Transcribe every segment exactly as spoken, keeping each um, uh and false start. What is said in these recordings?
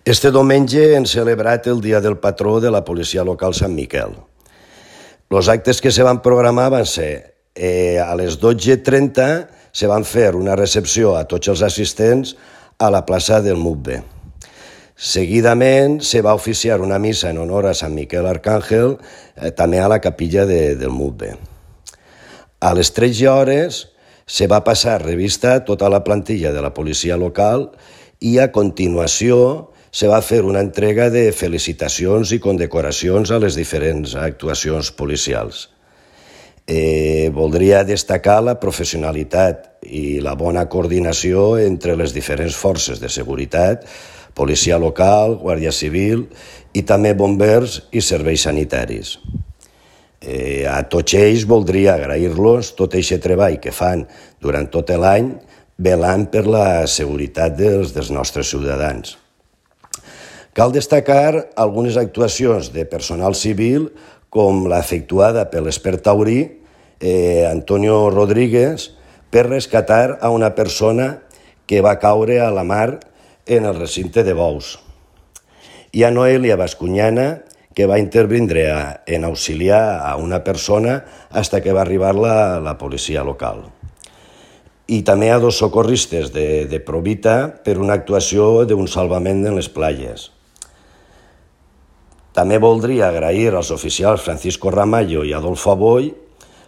Este diumenge hem celebrat el Dia del Patró de la Policia Local Sant Miquel. Els actes que se van programar van ser eh, a les dotze trenta se van fer una recepció a tots els assistents a la plaça del Mutbe. Seguidament se va oficiar una missa en honor a Sant Miquel Arcàngel, eh, també a la capilla de, del Mutbe. A les tretze hores se va passar revista a tota la plantilla de la policia local i a continuació se va fer una entrega de felicitacions i condecoracions a les diferents actuacions policials. Eh, voldria destacar la professionalitat i la bona coordinació entre les diferents forces de seguretat, policia local, guàrdia civil i també bombers i serveis sanitaris. Eh, a tots ells voldria agrair-los tot aquest treball que fan durant tot l'any velant per la seguretat dels, dels nostres ciutadans. Cal destacar algunes actuacions de personal civil com la efectuada per l'expert taurí eh, Antonio Rodríguez per rescatar a una persona que va caure a la mar en el recinte de Bous. I a Noelia Bascuñana, que va intervindre a, en auxiliar a una persona fins que va arribar la, la policia local. I també a dos socorristes de, de Provita per una actuació d'un salvament en les platges. També voldria agrair als oficials Francisco Ramallo i Adolfo Aboy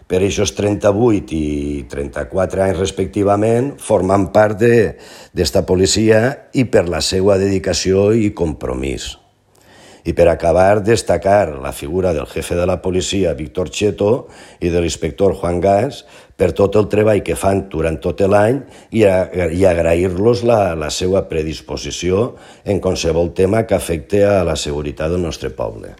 per aquests trenta-vuit i trenta-quatre anys respectivament formant part d'esta policia i per la seva dedicació i compromís. I per acabar, destacar la figura del jefe de la policia, Víctor Cheto, i de l'inspector Juan Gas, per tot el treball que fan durant tot l'any i, i agrair-los la, la seva predisposició en qualsevol tema que afecte a la seguretat del nostre poble.